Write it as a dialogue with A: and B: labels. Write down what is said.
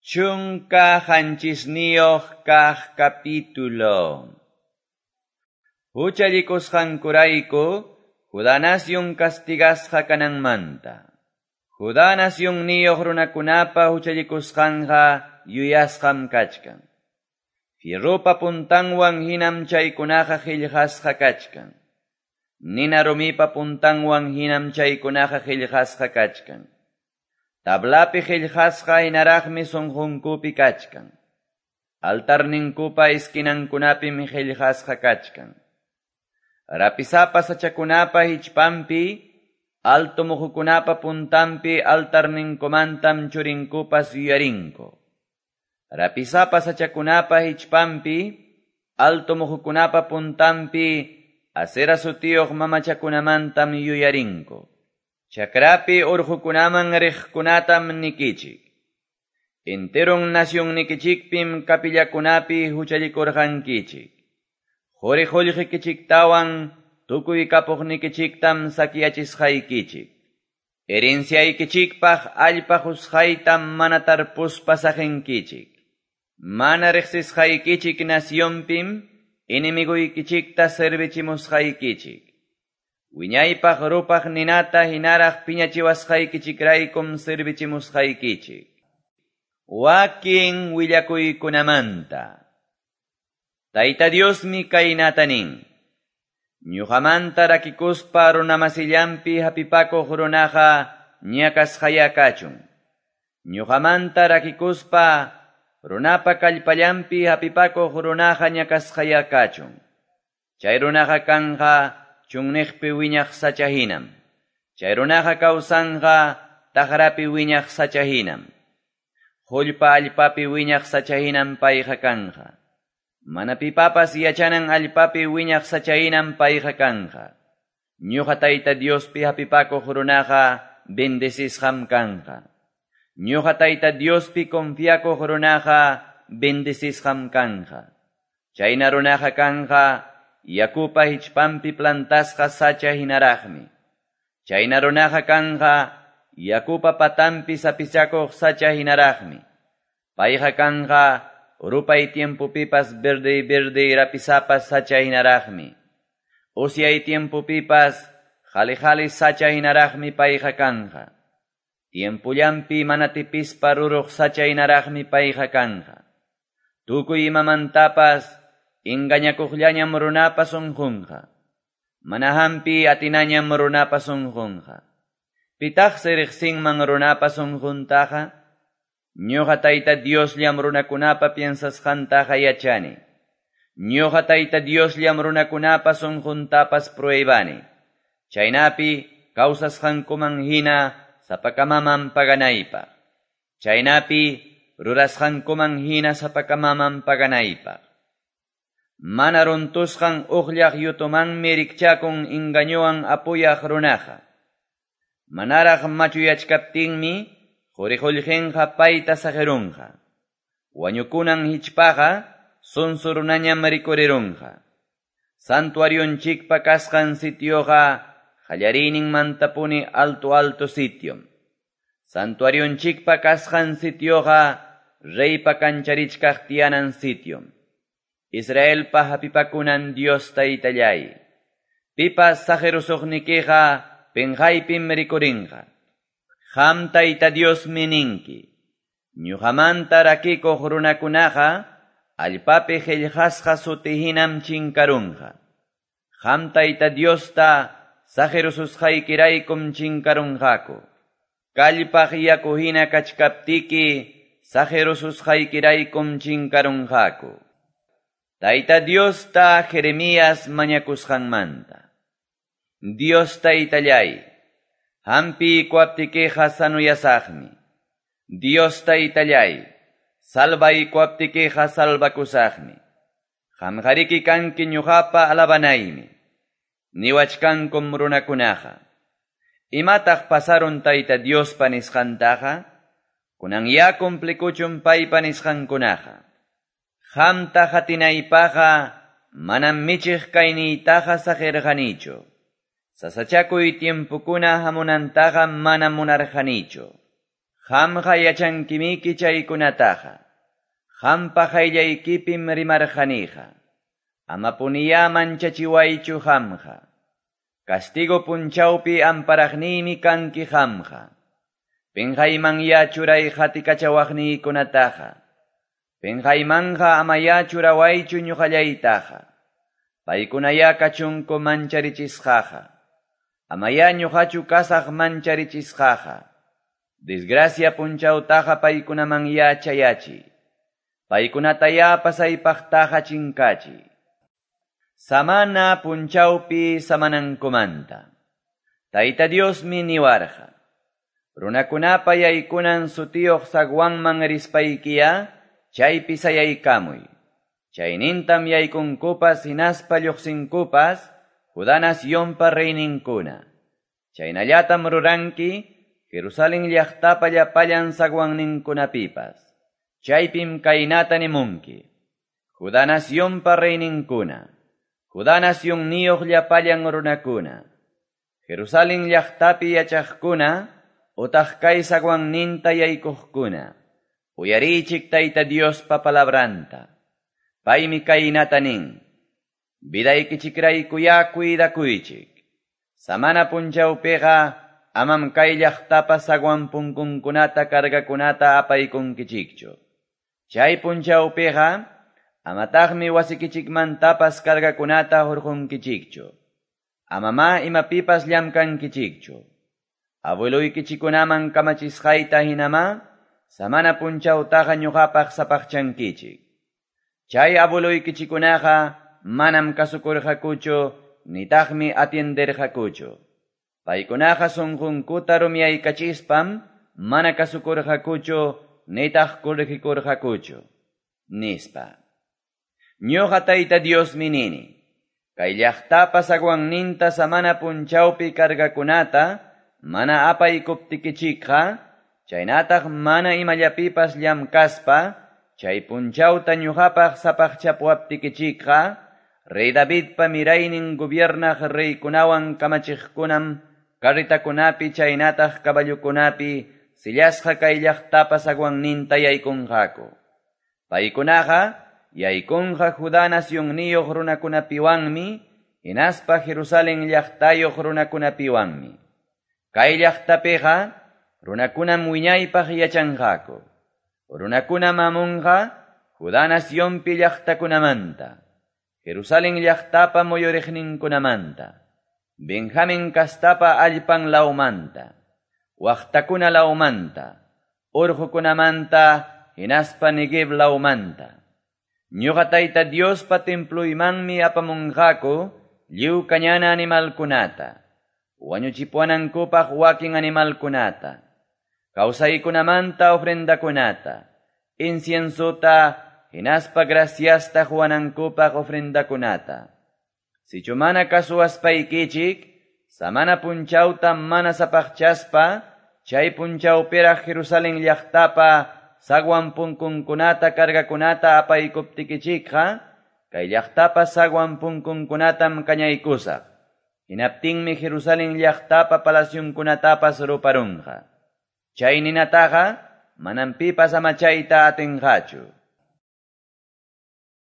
A: 17 kaq capítulo. Huchallikusqankurayku Judá nación castigasqa kananmanta. Judá nacionniyuq runakunapa huchallikusqanqa yuyasqam kachkan. Fierropa puntanwan hinam chaykunaqa qillqasqa kachkan. Nina rumipa puntanwan hinam chaykunaqa qillqasqa kachkan. Tablapi qillqasqa hinaraqmi sunqunkupi kachkan. Altarninkupa esquinankunapim qillqasqa kachkan. Rapisapa sachakunapa hichpanpi, alto muhukunapa puntanpi altarninkumantam churinkupas yuyarinku. Rapisapa sachakunapa hichpanpi, alto muhukunapa puntanpi, Asera sutiyuq mamachakunamantam yuyarinku. Chakrapi urqukunaman riqkunatam nikichik. Enteron nacionnikichikpim kapillakunapi huchallikurqankichik. Quri qullqikichiktawan tukuy kapuqnikichiktam sakyachisqaykichik. Herenciaykichikpaq allpa qusqaytam mana tarpuspa saqinkichik. Mana riqsisqaykichik nacionpim enemiguykichikta servichimusqaykichik. Wiñaypaq rupaq ninata hinaraq piñachiwasqaykichikraykum servichimusqaykichik. Wakin willakuykunamanta. Tayta Diosmi kaynata nin. Ñuqamanta rakikuspa runamasillanpi hapipakuq runaqa ñakasqaya kachun. Ñuqamanta rakikuspa runapa kallpallanpi hapipakuq runaqa ñakasqaya kachun. Chay runaqa kanqa chunniqpi wiñaq sacha hinam. Chay runaqa kawsanqa taqrapi wiñaq sacha hinam. Qullpa allpapi wiñaq sacha hinam payqa kanqa. Mana pipapas yachanan allpapi wiñaq sacha hinam payqa kanqa. Ñuqa Tayta Diospi hapipakuq runaqa bendecisqam kanqa. Ñuqa Tayta Diospi confiakuq runaqa bendecisqam kanqa. Chayna runaqa kanqa yakupa hichpanpi plantasqa sacha hinaraqmi. Chayna runaqa kanqa yakupa patanpi sapichakuq sacha hinaraqmi. Payqa kanqa rupay tiempopipas verde verde rapisapas sacha hinaraqmi. Usyay tiempopipas qhali qhali sacha hinaraqmi payqa kanqa. Tiempullanpi mana tipispa ruruq sacha hinaraqmi payqa kanqa. Tukuy imamantapas engañakuqllañam runapa sunqunqa. Mana hampi atinañam runapa sunqunqa. Pitaqsi riqsinman runapa sunquntaqa? Ñuqa Tayta Diosllam runakunapa piensasqantaqa yachani. Ñuqa Tayta Diosllam runakunapa sunquntapas pruebani. Chaynapi kawsasqankuman hina sapakamaman paganaypaq. Chaynapi rurasqankuman hina sapakamaman paganaypaq. Mana runtusqan uqllaq yutumanmi rikchakun engañowan apuyaq runaqa. Manaraq machuyachkaptinmi quri qullqinqa payta saqirunqa. Wañukunan hichpaqa sunsu runañam rikurirunqa. Santuarionchikpa kasqan sitioqa qallariyninmantapuni alto alto sitiom. Santuarionchikpa kasqan sitioqa reypa kancharichkaq tiyanan sitiom. Israelpa hapipakunan Dios Taytallay. Pipas saqirusuqnikiqa penqaypim rikurinqa. Qam Tayta Diosmi ninki. Ñuqamanta rakikuq runakunaqa allpapi qillqasqa suti hinam chinkarunqa. Qam Tayta Diosta saqirususqaykiraykum chinkarunqaku. Kallpaq yaku hina kachkaptiki saqirususqaykiraykum chinkarunqaku. Tayta Diosta Jeremías mañakusqanmanta. Dios Taytallay, hampiykuwaptikiqa sanuyasaqmi. Dios Taytallay, salvaykuwaptikiqa salvakusaqmi. Qamqariki kanki ñuqapa alabanaymi. Niwachkankum runakunaqa. Imataq pasarun Tayta Diospa nisqantaqa? Kunan ya cumplikuchun paypa nisqankunaqa. Qamta qatinaypaqqa manam michiq kayniytaqa saqirqanichu. Sasachakuy tiempukuna hamunantaqa manam munarqanichu. Qamqa yachankimiki chaykunataqa. Qampa qayllaykipim rimarqaniqa. Amapuniyá manchachiwaychu qamqa. Castigo punchawpi amparaqniymi kanki qamqa. Penqaymanyá churay qatikachawaqniykunataqa. Penqaymanqa amayá churawaychu ñuqallaytaqa. Paykunayá kachunku mancharichisqaqa. Amayá ñuqachu kasaq mancharichisqaqa. Desgracia punchawtaqa paykunamanyá chayachiy. Paykunatayá pasaypaqtaqa chinkachiy. Samana punchawpi samanankumanta. Tayta Diosmi niwarqa. Runakunapa yaykunan sutiyuq zaguanman rispaykiya, chaypi sayaykamuy. Chaynintam yaykunkupas hinaspa lluqsinkupas, Judá nacionpa reyninkuna. Chaynallatam ruranki, Jerusalén llaqtapa llapallan zaguanninkunapipas. Chaypim kaynata nimunki. Judá nacionpa reyninkuna. Judá nacionniyuq llapallan runakuna. Jerusalén llaqtapi yachaqkuna, utaq kay zaguanninta yaykuqkuna. Uyariychik Tayta Diospa palabranta. Paymi kaynata nin. Vidaykichikraykuyá cuidakuychik. Samana punchawpiqa amam kay llaqtapa zaguan punkunkunata cargakunata apaykunkichikchu. Chay punchawpiqa amataqmi wasikichikmantapas cargakunata hurqunkichikchu. Amamá imapipas llamkankichikchu. Abueluykichikunaman kamachisqayta hinamá samana punchawtaqa ñuqapaq sapaqchankichik. Chay abueluykichikunaqa manam kasukurqakuchu nitaqmi atienderqakuchu. Paykunaqa sunqunkuta rumiyaykachispam mana kasukurqakuchu nitaq corregikurqakuchu, nispa. Ñuqa Tayta Diosmi nini. Kay llaqtapa zaguanninta samana punchawpi cargakunata mana apaykuptikichikqa, chaynataq mana imallapipas llamkaspa, chay punchawta ñuqapaq sapaqchapuwaptikichikqa, Rey Davidpa miraynin gobiernaq reykunawan kamachiqkunam carretakunapi chaynataq caballokunapi sillasqa kay llaqtapa zaguanninta yaykunqaku. Paykunaqa yaykunqa Judá nacionniyuq runakunapiwanmi, hinaspa Jerusalén llaqtayuq runakunapiwanmi. Kay llaqtapiqa runakunam wiñaypaq yachanqaku. Runakunam amunqa Judá nacionpi llaqtakunamanta, Jerusalén llaqtapa muyuriqninkunamanta, Benjamín kastapa allpan lawmanta, waqtakuna lawmanta, urqukunamanta, hinaspa Negev lawmanta. Ñuqa Tayta Diospa templuymanmi apamunqaku lliw kañana animalkunata, wañuchipuwanankupaq wakin animalkunata, kawsaykunamanta ofrendakunata, inciensota, hinaspa graciasta huwanankupaq ofrendakunata. Sichu mana kasuwaspaykichik, samana punchawta mana sapaqchaspa, chay punchawpiraq Jerusalén llaqtapa zaguan punkunkunata cargakunata apaykuptikichikqa, kay llaqtapa zaguan punkunkunatam kañaykusaq. Hinaptinmi Jerusalén llaqtapa palacionkunatapas ruparunqa. Chay ninataqa manam pipas amachayta atinqachu.